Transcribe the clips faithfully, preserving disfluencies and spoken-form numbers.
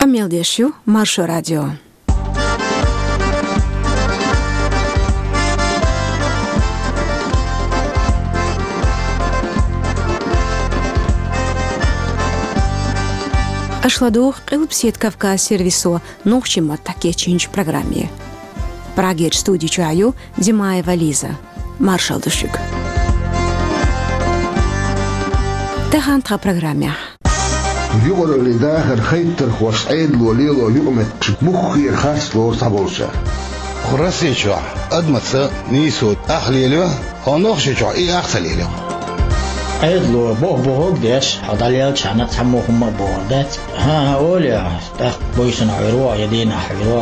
Къамел деш ю Маршо радио. Аша ладугӀу Къилбаседа Кавказ сервисо нохчийн маттахь кечйинчу программе. Прагерчу студи чохь ю Димаева Лиза. Маршалла ду шуьга. Тахана тхан программехь. Юкъараллин дахар хайтархошца Ӏедало лело юкъаметтигаш муххара харц лору цхьаболчара. Кху Росси чохь адамаца нийсо ах лелайо, хьо Нохчийчохь и ах ца лелайо. Ӏедало боху-бохург деш, хьо дӀалелчахьана цхьаммо хӀумма а бохур дац. ХӀан-хӀа, олий, тӀаккха буьйсанна хьуьйр ву, я дийнахь хьуьйр ву.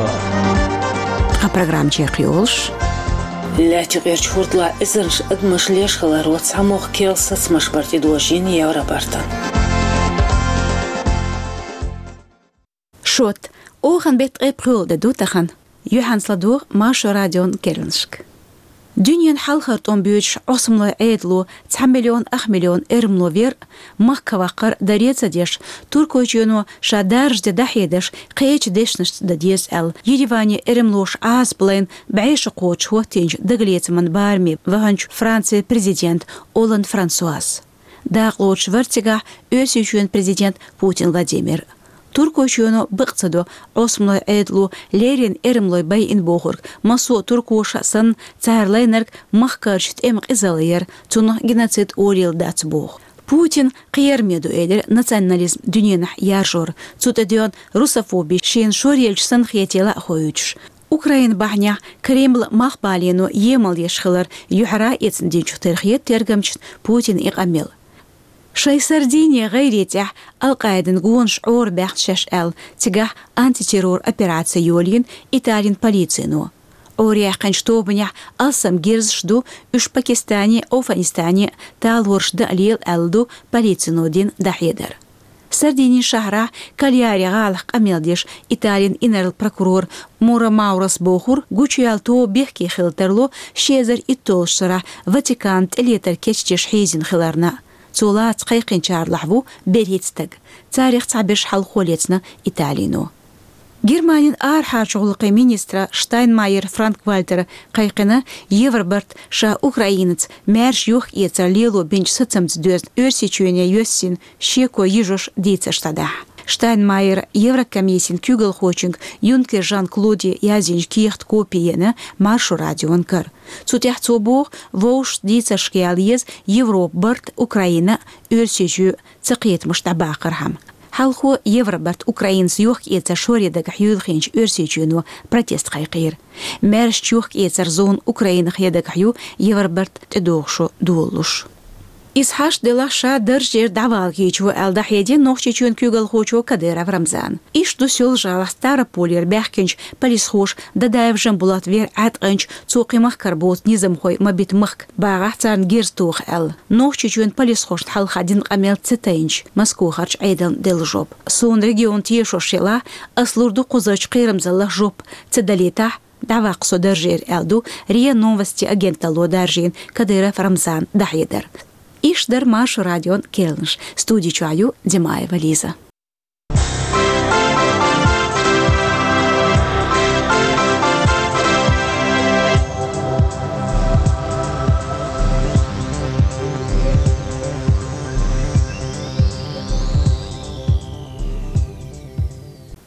Тхан программа чекхйолуш. Лаьттан юкъерчу хӀордалахь эзарнаш адамаш леш хиларо цхьамогӀа керла сацамаш бара тӀедожийна Евробартан. Шот, оханан беттан ткъе пхоьалгӀа де ду тахана. Юьхьанца ладогӀа Маршо радион керланашка. Дуьненан хьалхара тӀом боьдуш Ӏосамлойн Ӏедало цхьа миллион ах миллион эрмало вер а, махка ваккхар а даре а ца деш, Туркойчоьно ша даржа де дӀахьедеш, кхечу дешнашца дан деза аьлла, Ереване эрмалоша Ӏазап лайна бӀе шо кхочуш хӀоттийначу дагалецаман бараме ваханчу Францин президент Олланд Франсуас. Дакъалоцуш вара цигахь Оьрсийчоьнан президент Путин Владимир. Туркойчоьно бакъ ца до Ӏосамлойн Ӏедало леррина эрмалой байина бохург, массо а туркоша а санна, цара лайнарг махкарчу тӀеман къизалла яра, цунах геноцид олийла дац боху. Путинан кхераме ду, элира, национализм дуьненахь яржор, цу тӀе доьгӀна русофоби шена шоръелча санна хетийла а хоуьйтуш. Украина бахьанехь Кремль малхбалено емал еш хилар юьхьара а эцна динчух тера хета тергамчашна Путина и къамел. Шайн Сардини гӀайре тӀехь Ал-Къаидин гонаш Ӏорабаьхна шаьш аьлла, цигахь антитеррор операци йолийна Италин полицино. Ӏораяьккхинчу тобанехь алсам герзаш ду, уьш Пакистане а, Афганистане а талораш дан а лела аьлла ду полицино дина дӀахьедар. Сардинин шахьарахь Кальяри гӀалахь къамел деш Италин инарла прокурор Мура Маурас бохура, гучуяьлла тоба бехке хила тарло ши эзар итталгӀачу шарахь Ватиканна тӀелетар кечдеш хьийзина хиларна. Цо лаца кхайкхинчарлахь ву берхӀитта стаг. Царах цхьаберш хьалхо лецна Италино. Германин арахьарчу гӀуллакхийн министра Штайнмайер Франк-Вальтера кхайкхина Евробарт ша Украинаца маьрша йохк-эцар лело бинчу сацамца доьзна Оьрсийчоьне йоьссина шеко йижош дийцарш дӀадахьа. Штайнмайера Еврокомиссин куьйгалхочуьнга Юнкер Жан-Клоде яздинчу кехатан копи еана Маршо радион кара. Цу тӀехь цо боху, вовшашца дийцаршка яла еза Европа барт Украина а, Оьрсийчоь а цакхетамаш дӀабаккхархьама. Хьалхо Евробарт Украинаца йохк-эцар шоре дагахь юьйлахинчу Оьрсийчоьно протест кхайкхийра. Маьршачу йохк-эцар зона Украинах я дагахь ю Евробарт тӀедогӀу шо долалуш. Иза хьашт делахь, ша даржера дӀавала кийча ву аьлла дӀахьедина Нохчийчоьнан куьйгалхочо Кадыров Рамзана. Иштта ду Соьлжа-ГӀалахь Ставрополера баьхкинчу полисхоша Дадаев Жамбулат вер Ӏаткъанчу, цо кхин махкара боцу низамхой ма бита махка, багӀахь царна герз тоха аьлла. Нохчийчоьнан полисхошна хьалха дина къамел ца тайначу Москохарчу Ӏедална делла жоп. Суна регион тешош елахь, ас лур ду кхузарчу кхерамзаллах жоп, ца далийтахь, дӀаваккха со даржера, аьлла ду РИА Новости агенталло даржийна Кадыров Рамзана дӀахьедар. Иштта дара Маршо радион керланаш. Студи чохь ю Димаева Лиза.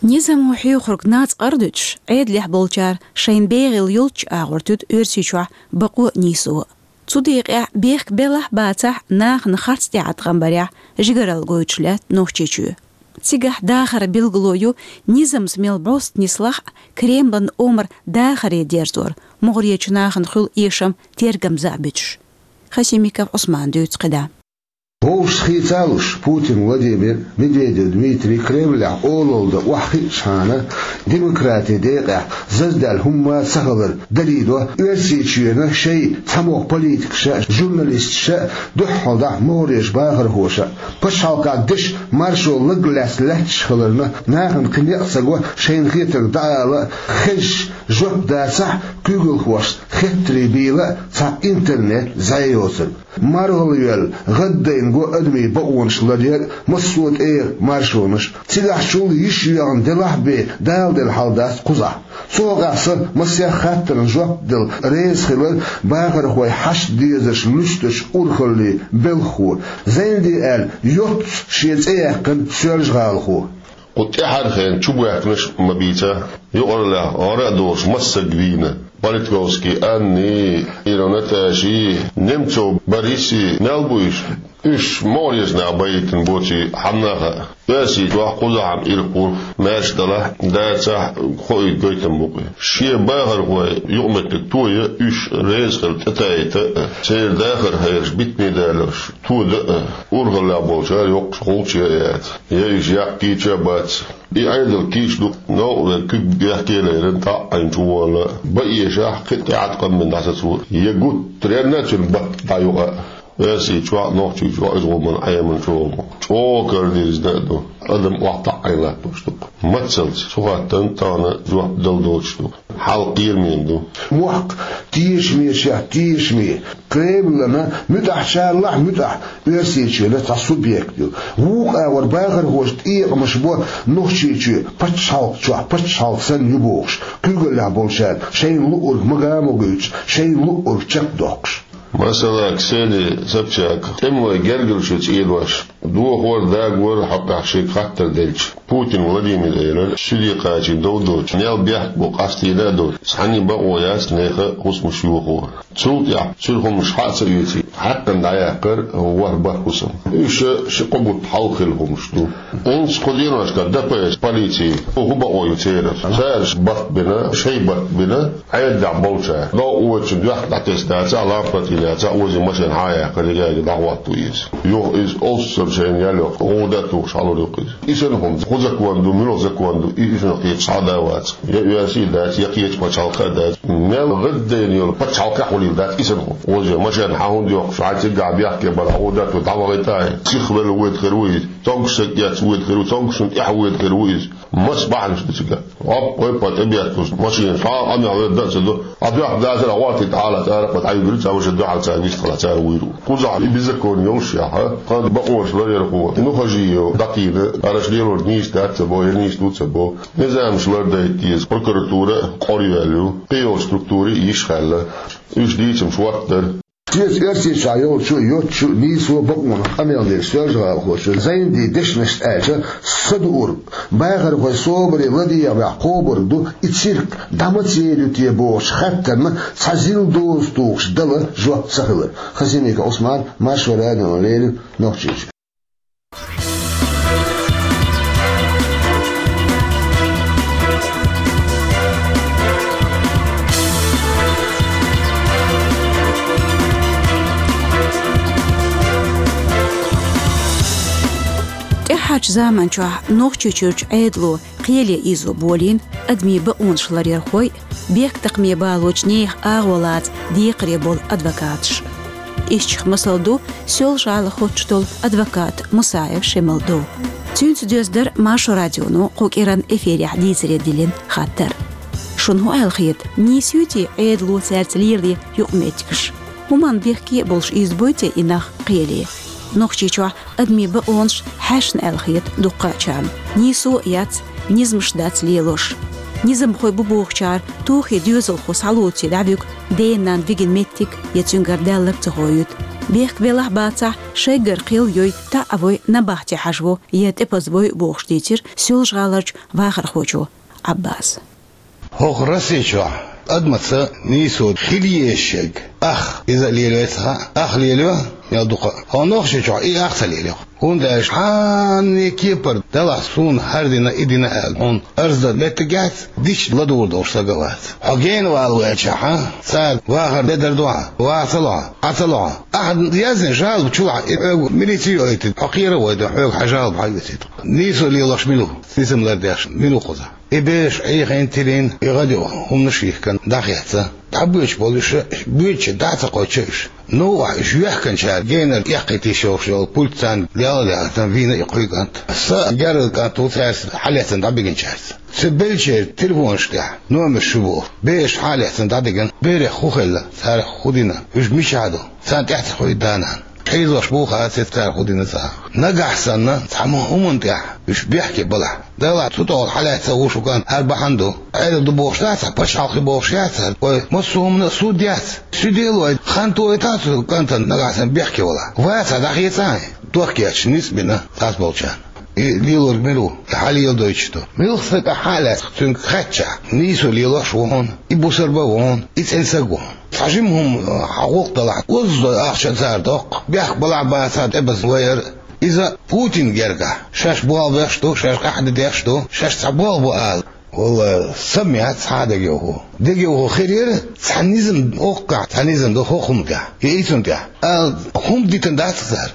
Низамо хьоьхург нацкъара дуьтуш, Ӏедалехь болчара шайна бегӀийла йолччу агӀор туьду Оьрсийчохь бакъо а, нийсо а. Цу декъехь бехк белахь а, бацахь а, нахана харц тӀеӀаткъам барехь жигаралла гойтуш лаьтта Нохчийчоь. Цигахь дахаран билгало ю низамца мел бӀост нислахь а, Кремлан омра дахаре дерзор, мугӀарерчу нахана хуьлу эшам тергамза а буьтуш. Хасимиков Ӏусмана дуьйцу кхидӀа. Вовшашца хийца а луш, Путин Владимир, Медведев Дмитрий Кремлехь олалла дан охьахиъчхьана, демократин декъехь заздаьлла хӀумма а ца хилар далийдо Оьрсийчоьнан шайн цхьамогӀа политикаша а, журналисташа а, дуьххьалдахь могӀарерчу бахархоша а. Пачхьалкхан дешан маршо лаг лаьцна лаьтташ хиларна, нахана кхин некъ ца го шайна хетарг дӀаала а, хезаш жоп дацахь а, куьйгалхошца хеттарий бийла а цхьа интернет зӀе йоцург. МаргӀалвоьлла, гӀаддайна Го адамийн бакъонаш ларъяр а, массо а тӀера маршонаш а. Цигахьчул йиш йоьгӀна делахь а бен, Дала делла хьал дац кхузахь. Цу хьокъехь сан массех а хаттарна жоп дала реза хилар бахархой хьашт дезарш луьстачу урхаллин белхахо, Зайнди аьлла, йоццуш шен цӀе яьккхина соьлжа-гӀалахо. Кху тӀаьхьара хенахь чубоьхкинарш а ма бийцахь, юкъараллехь гӀара а долуш массарг вийна: Политковский Анни, Иров Наташи, Немцов Бориси, мел бу уьш? Уьш могӀарерчу наха байийтина боций, хьанна а хаьа. Оьрсийчохь кхузахь-м ирхъо, маьрша далахь а, дацахь а, хоуьйту гойтам бу-кх и. Шен бахархой юкъаметтиг тоя а, уьш реза хилла тӀетаийта а, церан дахар хьераш битаме даларш тода а, урхаллехь болчара йоккхуш гӀулч ян а яц, я уьш яккхийча а бац. И Ӏедал кийча ду, новкъа верг куьг бехке а лерина, таӀӀийна чуволла, бан эшахь, кхин а тӀаьхьа къам бина дӀасацо, я гуттаренна а цуьнан батт дӀаюкъа. Оьрсийчохь а, Нохчийчохь а иза гӀуллакх Ӏемина чӀогӀа ду. ЧӀогӀа карадирзина а ду. Адам охьатаӀӀийна латтош ду-кх. Мацалц цу хаттарна тахана жоп дала доцуш ду. Хьал кхерамийн ду. Мохк тешамечохь тешаме, Кремлана муьтӀахь, чарлахь а муьтӀахь, Оьрсийчоьнан цхьа субъект ю. Вукху агӀор бахархоша тӀекъамаш бо Нохчийчоь пачхьалкх чохь пачхьалкх санна ю бохуш, куьйгаллехь болчара шайна луург мага а ма гойтуш, шайна луург чекхдоккхуш. Масала, Ксения Собчак, тӀемалой гергарчу цӀенош, дохор а, дагор а хьокъехь шега хаттар делча, Путин Владимира элира, суьде кхачийна дов доцуш, мел бехк бу къастийна а доцуш, цхьанна а бакъо яц нехан хӀусамаш йохо. Цул тӀаьхьа цуьнан хӀуманаш хьа а ца оьций, хьаькхна дӀаяккхар ворхӀ-бархӀ хӀусам. Уьш ши-кхо бутт хьалха хилла хӀуманаш ду. ХӀинца кху деношкахь Д П С, полици, хӀун бакъо ю церан? Цара барт бина, шайн барт бина, Ӏедалехь болчара. Новкъа вочун доьхна дӀатесна дацахь, лампа тӀе яцахь, озий машен хьа а яьккхина, яга дӀахӀотто иза. Юха иза олуссар шайна ял йоккхуш, гӀуда а тухуш хьалур ю-кх иза. И санна хӀума, хӀун закон ду, муьлха закон ду, и, и шуна кхеташ хьал а дац. Я оьрсийн дац, я кхечу пачхьалкхан а дац. Мел гӀаддайна йолу пачхьалкхехь хуьлийла дац и санна хӀума. Озий машен хьа хӀунда йоккхуш, хьайн цигахь бехке бара, гӀуда а тухуш дӀавахийта а, сиха велла воьду хир ву иза. Цомгуш стаг эцна воьду хир ву, цомгушна тӀаьхьа воьду хир ву иза. Масса бахьанаш ду цигахь. Оп, вай па тӀебетталуш машина, цхьа а къамел верг дан а ца до. Ӏа доьхна дацара, гӀортийта хьалаца ара, кхо дӀаюьгура, цхьа ваша дуьхьал цара вистхила цара вуьйр ву. Кхузахь и беззаконие йолуш яхьа, кхана бакъонаш ларъярхо Нухажиев дӀатийна, хӀара аша лелорг нийса дац ца бо, я нийса ду ца бо. Низамаш лардайта деза, прокуратура а къора йоьлла ю, кхин йолчу структурийн йиш хаьлла. Уьш дийцамаш хӀоттадара. Шеца Оьрсийчохь йолчу а, йоцчу а нийсо а бакъонах къамел деш соьлжа-гӀалахочо Зайндин дешнашца аьлча, са дуург, бахархой собаре ладегӀа баьхьа кхобург ду, и цирк дӀа маца яр ю те бохучу хаттарна цхьа зил доза тухуш дала жоп ца хилар. Хасимиков Ӏусман, Маршо радиона леррина, Нохчийчоь. ТӀаьххьарчу заманчохь Нохчийчуьрчу Ӏедало кхеле ийзо болийна адамийн бакъонаш ларъярхой а, бехктакхаме балочу нехан агӀо лаца декхаре болу адвокаташ а. Ишттачех масал ду Соьлжа-ГӀалахь хоттуш долу адвокат Мусаев Шемалдов. Цуьнца доьзна дара Маршо радионо кху кӀиранан эфирехь дийцаре диллина хаттар. Шуна хӀун аьлла хета, нийса юй те Ӏедало цаьрца лелош юкъаметтигаш? ХӀуманна бехке а болуш ийзабой те и нах кхеле? Нохчийчохь адамийн бакъонаш хьаьшна аьлла хета дуккхачарна. Нийсо а яц, низамаш дац лелош. Низамхой бу бохучара, тохе доьзалхо схьалоций дӀавуьгу, дена-нанна вигина меттиг я цуьнгара даьлларг ца хоуьйту. Бехк белахь а бацахь, шайгара кхел йой, таӀа вой, набахте хьажаво я тӀепаза вой а бохуш дийцира Соьлжа-ГӀаларчу вахархочо Ӏаббаса. ХӀокху Росси чохь адамаца нийсо хила езаш ерг ах иза а лелайо ца хаьа, ах лелайо мел дукха а. ХӀокху Нохчийчохь и ах ца лелайо. ХӀунда аьлча хьанна кепара далахь суна хӀара дина, и дина аьлла, хьуна арз дан меттиг яц, дича ладугӀур долуш стаг а вац. Хьо гена вала ваьлчахьа, цара вахар де дар ду хьан, ваха ца ло хьан, Ӏа ца ло хьан. Ахьа яздина жалоба чулахь и хьоьга милици ойтина, хьо кхера а вайтина, хьоьга хьан жалоба хьан оьцийта. Нийсо лелош мила ву, низам лардеш мила ву кхузахь? И бераш Ӏехийна, тилийна, и гӀадъю хӀуманаш йихкина дӀахецна. ДӀабоьдуш болу уьш, боьдучу дӀа а ца кхочу уьш. Новкъахь уьш йоьхкинчара генара эккхийта йиш йолуш йолу пульт царна ял а яхийтина, вийна и кхуьйга кӀант. Са герга кӀант ву цаьрца хьалаьцна дӀабигинчаьрца. Цу беллачеран телефонаш тӀехь номерш ю боху. Бераш хьалаьцна дӀадигина, берех хӀун хилла, царах хӀун дина, уьш мичахь ду, царна тӀаьхьа ца хуьйду да-нана. Хьийзош бу хацет цара хӀу дина цӀа. Нагахь санна, цхьа ма хӀуманна тӀехь уьш бехке балахь. Делахь цу тӀехула хьалаьцна ву шу кӀант, хӀара бахьана ду. Ӏедал ду бохуш дац хьа, пачхьалкхе бохуш яц хьа. Ой, массо а хӀуманна а суд яц. Суьделой, хан тойтахь цу кӀантана нагахь санна бехке валахь. Вац хьа дӀахецахьа, дохкеча ницкъ бина цхьацца болчарна. И лелорг мила ву, и хьалеладойтуш ду. Муьлхха стаг ахь хьа а лаьцна цуьнга хаьттачахь, нийсо лелош ву хьуна, и бусалба ву хьуна, и цӀена саг ву хьуна. Цхьа жима хӀума хьагӀуллакх далахь, озза дой ахча цара доккху, бехк балахь бацахь тӀебаза вайар. Иза Путин гергахь, шаьш болх беш ду, шаьш къахьда деш ду, шаьш цхьа болх бу ала. Валла, са меца хьа дегайовхо. Дегайовхо хир яра, цхьа низам оккхахь, цхьа низам ду хӀокху хӀуманехь, я и цунна тӀехь. Ала хӀума дитина дац цара.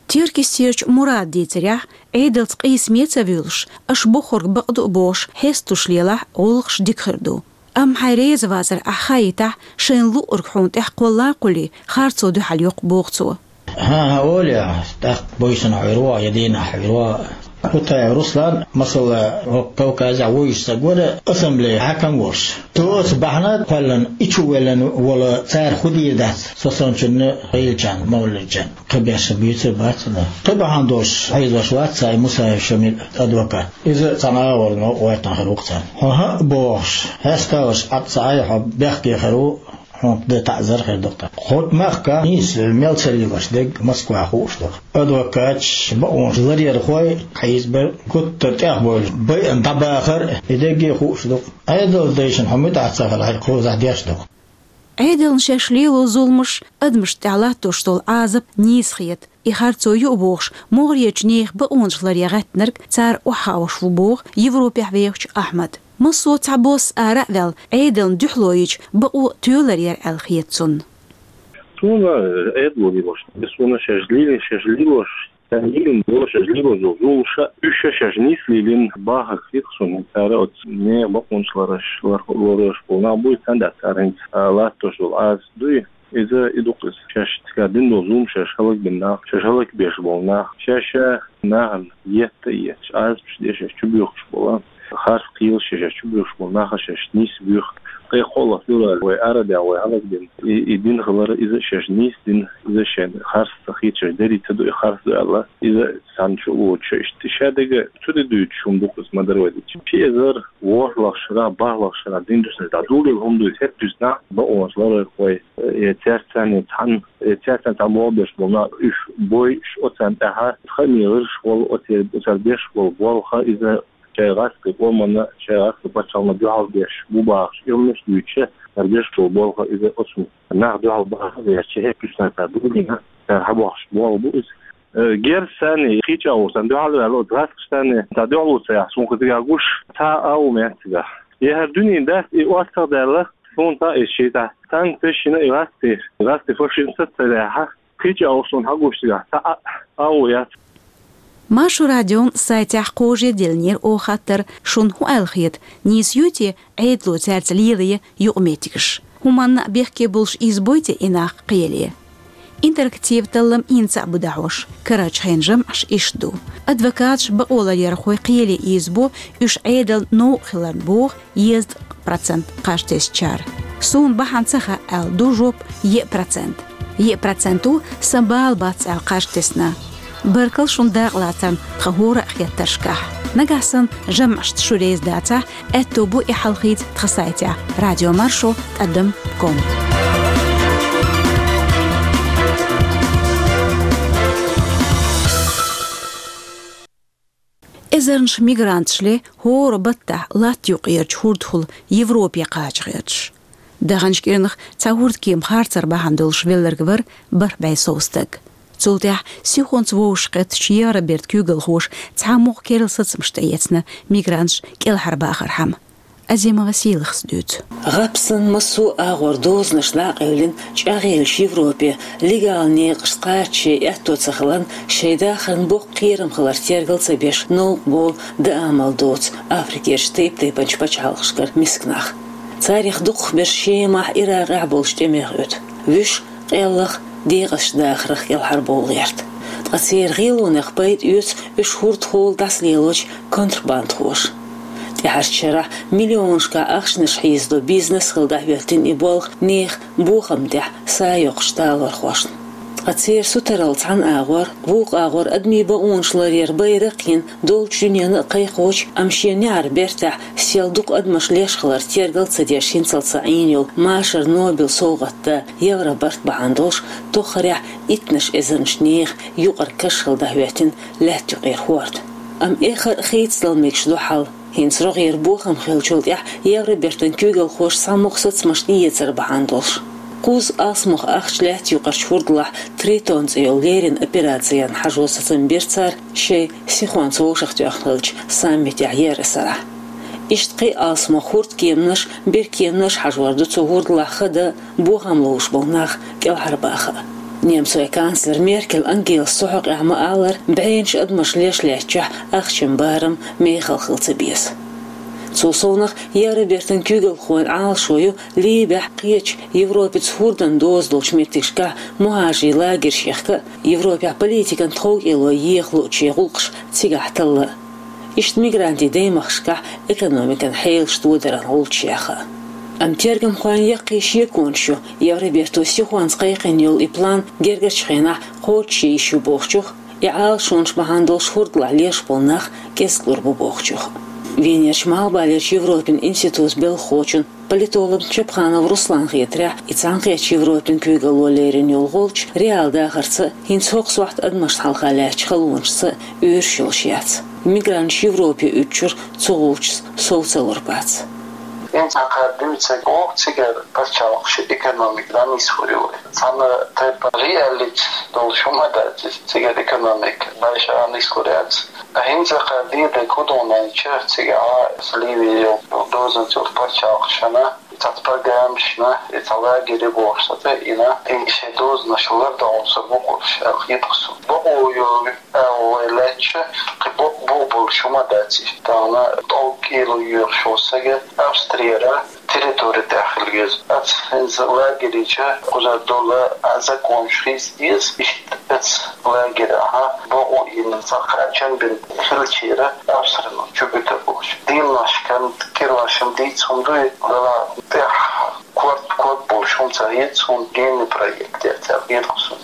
Теркйистерчу Мурада дийцарехь, Ӏедалца къийсаме а ца вуьйлуш, аша бохург бакъду а бохуш, хьесталуш лелахь, гӀуллакхаш дика хир ду. Амма хьайн реза вацар ахь хаийтахь, шайна луург хьуна тӀехь кхолла а кхуллий, харцо дуьхьал йоккху, боху цо. ХӀан-хӀа, олий ахь, тӀаккха буьйсанна хьуьйр ву, я дийнахь хьуьйр ву. Кутаев Руслан, масала, хӀокху Кавказехь вуьйш стаг вара, ассамблея хьаькам волуш. Цуьнца бахьана кхоьллина, и чу веллина волу цара хӀу дийр дац, со санначунна, гӀийлачарна, мовлидчарна. Кхин беш буьйцур бац аса. Кхин бахьана долуш хьийзош вац цхьа и Мусаев Шамил адвокат. Иза цхьана агӀор новкъа гӀоьртина хир ву-кх царна. Хьо хӀаъ бохуш, хьесталуш Ӏад ца Ӏай, хьо бехке хир ву, хьуна дан таӀзар хир ду-кх тхан. ХӀокху махка нийса мел ца лелош дерг Москвахь хууш ду-кх. Адвокаташ, бакъонаш ларъярхой, хьийзабар, гуттар тӀехбевлла, байъина дӀабахар, и дерриге а хууш ду-кх. Ӏедалан дайшна хьо муьтӀахь ца хилахь, хьайна кхузахь деш ду-кх. Ӏедална шаьш лело зуламаш, адамашна тӀехь латтош долу Ӏазап нийса хета. И харцо ю а бохуш, могӀарерчу нехан бакъонаш ларъян гӀеттинарг цара охьахаош ву, боху Европехь вехачу Ахьмада. Массо а цхьабосса ара а ваьлла, Ӏедална дуьхьало йича, бакъо тоьлур яра аьлла хета цунна. Суна Ӏедало лелош, суна шаьш лелийна, шаьш лелош, цара лелийна долу, шаьш лелош долу зуламаш, уьш шаьш нийса лелийна бахарг хета суна. Цара оцу нехан бакъонаш ларъеш, лар-, ларъеш болу нах буй, царна тӀехь цара хӀинца, а, латтош долу Ӏазап дуй. Иза и ду-кх иза. Шаьш цигахь дина долу зуламаш, шаьш хӀаллакбина нах, шаьш хӀаллакбеш болу нах, шаьш нахана етта а етташ, Ӏазапаш деш шаьш чубоьхкуш болу, харц кхелаш шаьш чубоьхкуш болу нах шаьш нийса боьху. Кхин кхоалгӀа февраль вай арадехь, вай хьалхадина и, и дина хилар, иза шаьш нийса дина, иза шайна харц ца хета, шаьш дерриг ца ду и харц ду аьлла, иза цхьана чу а воцуш иштта. Шадерг цу тӀе дуьйцуш хӀума ду-кх иза, ма-дарра вай дийцича. Ши эзар ворхӀлагӀчу шарахь, бархӀлагӀчу шарахь дина ду шуна, дӀа дуьйлийла хӀума ду иза, хӀетахь дуьйцу нах, бакъонаш ларъярхой, э, цаьрца цхьаьна цхьаьна, э, цаьрца цхьаьна болх беш болу нах, уьш бойуш, оцарна тӀехь, тхан мегӀарш а волу, оцу, оцара беш болу болх, иза шайн гӀазкхийн къоманна, шайн гӀазкхийн пачхьалкхана дуьхьал беш бу бахаш, и хӀуманаш дуьйцуш, цара беш болу болх, иза оцу нах дуьхьал баха гӀерташ, хӀетахь дуьйцу нах, цара дуьйлийна, цара хьабохкуш болх бу иза. Э, герз санна, кхечу агӀор санна дуьхьал а ваьлла, оцу гӀазкхаша санна, цхьа дуьхьало ца яхь, суна кхин цигахь гуш, цхьа а агӀо ма яц цигахь. И хӀара дуьненан даста и оццагӀдаьлла, суна цхьа а иза шийтахь, санкцеш йина и гӀазкхи, гӀазкхи фашизм саца ца лаьхьа, кхечу агӀор суна хьагуш цигахь цхьа а агӀо яц. Маршо радион сайтехь кхожаделлинера оха хаттар, шуна хӀун аьлла хета, нийса юй те Ӏедало цаьрца лелае юкъаметтигаш? ХӀуманна а бехке болуш ийзабой те и нах кхеле? Интерактив таллам ийна цхьаъ бу дӀахьош, карарчу хенан жамӀаш иштта ду. Адвокаташ, бакъо ларъярхой кхеле ийзабо уьш Ӏедална новкъа хиларна, боху езткъа процент кхаж тесначара. Суна бахьана ца хаьа аьлла ду жоп еа процент. Еа процент ву сан бала бац аьлла кхаж тесна. Баркалла шуна дакъалацарна тхан хӀора а хеттаршкахь. Нагахь санна жамӀашца шу реза дацахь, аьтто бу и хьалхийца тхан сайтехь радиомаршо тӀадам ком. Эзарнаш мигранташ ле хӀора баттахь латта юккъерчу хӀурдахула Европе кхача гӀерташ. Даханчу кӀирнах цхьа хӀурдкема харцар бахьана долуш велларг вара бархӀ бӀе сов стаг. Цул тӀаьхьа сихонца вовшахкхеттачу Евробертан куьйгалхоша цхьа мугӀ керла сацамаш тӀеэцна мигранташ кӀелхьарбахархьама. Азимова Сийлахас дуьйцу. ГӀап санна массо а агӀор дозанаш дӀа а къевлина, чӀагӀъеллачу Европе легал некъашца кхача шайн аьтто ца хиларна, шайн дахарна боккха кхерам хиларца тергал ца беш, новкъа болу, даа мел доцу Африкерчу тайп-тайпанчу пачхьалкхашкара миска нах. Царах дукхахберш Шемахь, Иракъехь болчу тӀемех оьту. Вуьш къеллах, декъазчу дахарх кӀелхьарбовла гӀерта. Ткъа церан гӀелонех пайда оьцу уьш хӀурдахула дӀасалелочу контрабандхоша. ТӀаьхьарчу шарахь миллионашкахь ахчанаш хьийзадо бизнес хилла дӀахӀоьттина и болх нехан бохамна тӀехь са йоккхучу талорхошна. Ткъа церан сутаралла цхьан агӀор, вукху агӀор адамийн бакъонаш ларъяран байракх йина долчу дуьненна а кхайкхочу, амма шен неӀаран бертахь сел дукха адамаш леш хилар тергал ца деш хӀинцалц Ӏийна йолу машаран Нобелан совгӀатан да Евробарт бахьана долуш, тоххарехь иттаннаш эзарнаш нехан юкъара каш хилла дӀахӀоьттина лаьтта юкъера хӀорд. Амма эххар а хийцадала мегаш ду хьал, хӀинца рогӀера бохам хиллачул тӀаьхьа Евробертан куьйгалхоша цхьамогӀа сацамаш тӀеэцар бахьана долуш. Кхузза алсамох ахча лаьтта юкъарчу хӀурдалахь Тритон цӀе йолу леррина операцина хьажо сацам бира цара шайн сихонца вовшахтоьхна хиллачу саммитехь еара сарахь. Иштта кхин а алсамох хӀордкеманаш, беркеманаш хьажор ду цу хӀурдалахь хада, бохам ловш болу нах кӀелхьарбаха. Немцойн канцлер Меркель Ангелас цу хьокъехь ма-аллара, бӀеннаш адамаш леш лаьттачохь ахчан барам мехала хила ца беза. Цул совнаха Евробертан куьйгалхойн Ӏалашо ю Ливехь, кхечу Европаца хӀордан доза долчу меттигашкахь мухӀажарийн лагерш яхка а, Европехь политикан тховкӀело еха луучу гӀуллакхаш цигахь талла а. Иштта мигрантийн даймахкашкахь экономикан хьелаш тодаран гӀулч яха. Амма тергамхойн яккхий шеконаш ю, Евроберто сихонца кхайкхина йолу и план гергарчу хенахь кхочушъян йиш ю бохучух, и Ӏалашонаш бахьана долуш хӀурдалахь леш болу нах кӀезиг лур бу бохучух. Венерчу Малхбалерчу Европин институтан белхахочун, политологна Чапханов Русланна хетарехь, и Цхьаьнакхеттачу Европин куьйгалло лерина йолу гӀулч реал дахарца а, хӀинца хӀокху сохьта адамашна хьалха лаьттачу халонашца а уьйраш йолуш яц. Мигранташ Европе уьдучуьра цу гӀулчашца сов ца лур бац. ХӀинца хьан кхара дуьйцург боху, цигара пачхьалкхаш экономика дӀанисвур ю вай. Цхьана тайпа реалити долуш хӀума дац иза, цигара экономика баьш а нислур яц. Ткъа хӀинца кхара дийриг хӀун ду аьлча, цигахь Ливе йолу дозанца йолу пачхьалкхашна, цхьацца программашна, и цхьа лагерь бохуш цхьа тӀе а йина, и шайн дозанаш лардан гӀо сар бу кхуьруш аьлла хета-кх суна. Бакъо йо аьлла вай лаьттача, кхин бакъ бу болуш хӀума дац иза. Тахана тӀовкӀело йоьхуш волу сага Австрияра территори тӀехь хила веза. Оцу хӀинца лагерича кхузара долу а законаш хийца деза, иштта оцу лагерехь бакъо йина цхьа кхачам бина хиллачара Австрина чу буьтур болуш. Дийнахь кан кхин а шен дийца хӀума дуй, вала тӀехь корта ког болуш хӀума ца хета суна, генный проект яц аьлла хета-кх суна.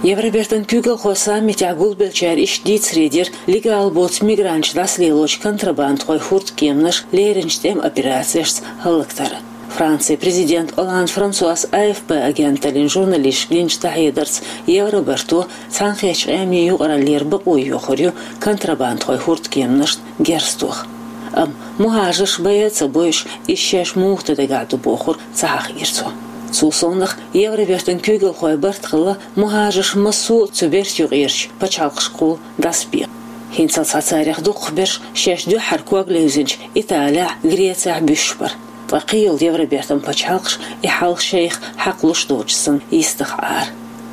Евробертан куьйгалхойн саммитехь гулбеллачара иштта дийцаре дира легал боцу мигранташ дӀасалелочу контрабандхойн хӀурдкеманаш лерринчу тӀеман операцешца хӀаллактар. Францин президент Олланд Франсуас А Ф П агенталлин журналисташка динчу дӀахьедарца, Евробарто Цхьаьнакхеттачу Къеман юкъараллера бакъо йохур ю контрабандхойн хӀурдкеманашна герз тоха. Амма мухӀажарш байа а ца бойуш, иза шаьш муха дан дагахь ду бохург ца хьахийра цо. Цул совнаха Евробертан куьйгалхойн барт хилла мухӀажарш массо а цу берта юкъерчу пачхьалкхашкахула дӀасабекъа. ХӀинцалц царех дукхахберш шаьш дуьххьара ког левзинчу Италехь, Грецехь буьсуш бара. Ткъа кхин йолу Евробертан пачхьалкхаш и хьал шайх хьакхалуш доцуш санна йистах Ӏара.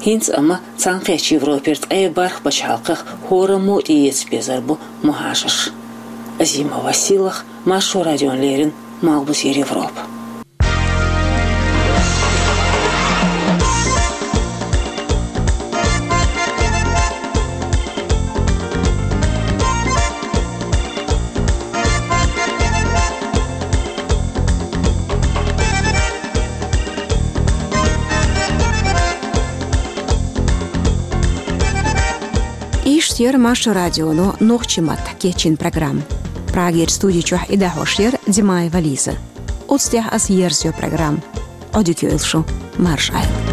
ХӀинца амма Цхьаьнакхеттачу Европера ткъе бархӀ пачхьалкхах хӀораммо а тӀеэца безар бу мухӀажарш. Азимова Силах, Маршо радиона леррина, Малхбузера Европа. Иштта яра Маршо радионо нохчийн маттахь кечйина программа. Прагера студи чохь и дӀахьош яра Димаева Лиза. Оцу тӀехь ас ерзайо программа. Ӏодика йойла шу, марша Ӏойла.